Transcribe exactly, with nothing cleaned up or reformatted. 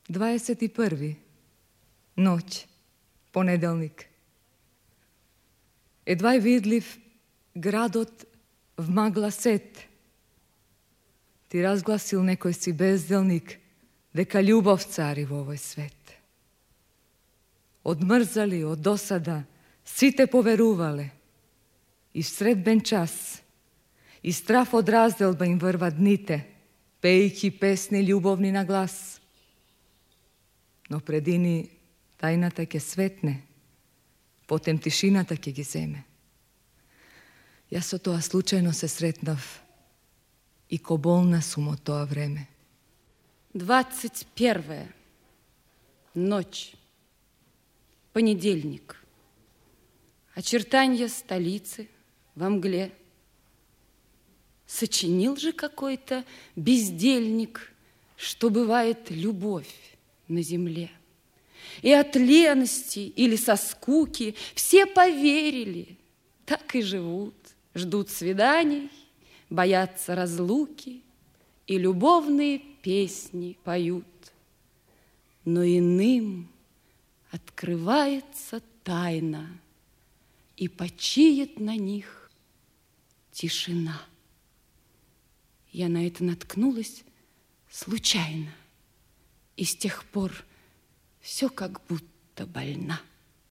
дваесет и први. Ноќ, понеделник. Едва е видлив градот в магла сет. Ти разгласил некој си безделник дека љубов цари во овој свет. Одмрзали од досада, сите поверувале. И в средбен час, и страф од разделба им врва дните, пејки песни љубовни на глас. Но предини тајната ќе светне, потем тишината ќе ги земе. Јас со тоа случајно се сретнав и ко болна сум од тоа време. двадцать первое. Ночь. Понедельник. Очертанья столицы во мгле. Сочинил же какой-то бездельник, что бывает любовь на земле. И от лености или со скуки все поверили, так и живут, ждут свиданий, боятся разлуки и любовные песни поют. Но иным открывается тайна, и почиет на них тишина. Я на это наткнулась случайно, и с тех пор все как будто больна.